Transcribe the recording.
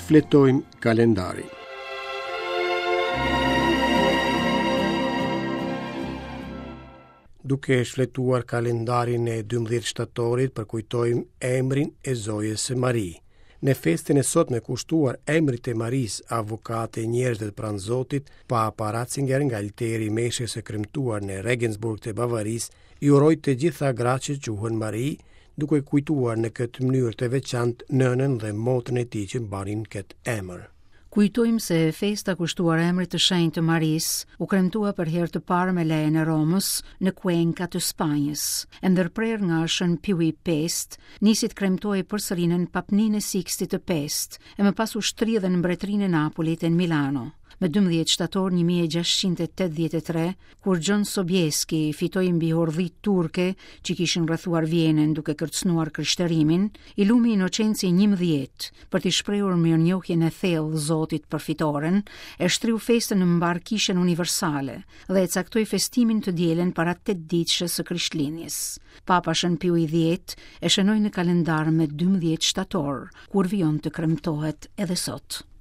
Shfletojmë kalendarin. Duke shfletuar kalendarin e 12 shtatorit, përkujtojmë emrin e Zojës së Mari. Në festën e sotme kushtuar emrit të Marisë, avokate e njerëzve pranë Zotit, Papa Ratzinger nga alteri i meshës së kremtuar në Regensburg të Bavarisë, i uroi të gjitha gratë që quhen Mari, duke kujtuar në këtë mënyrë të veçantë nënën dhe motrën e tij që mbanin këtë emër. Kujtojmë se festa kushtuar emrit të shenjtë të Marisë u kremtua për herë të parë me lejen e Romës në Cuenca të Spanjës. E ndërprerë nga Shën Piu i V, nisi të kremtohej përsëri nën papninë e Sikstit të V, e më pas u shtri edhe në Mbretërinë e Napolit e në Milano. Më 12 shtator 1683, kur Gjon Sobieski fitoi mbi hordhitë turke që kishin rrethuar Vjenën duke kërcënuar krishterimin, i lumi Inocenci i 11, për t'i shprehur mirënjohjen e thellë Zotit për fitoren, e shtriu festën në mbarë kishën universale dhe e caktoi festimin të dielën para tetëditëshes së Krishtlindjes. Papa Shën Piu i X e shënoi në kalendar me 12 shtator, kur vijon të kremtohet edhe sot.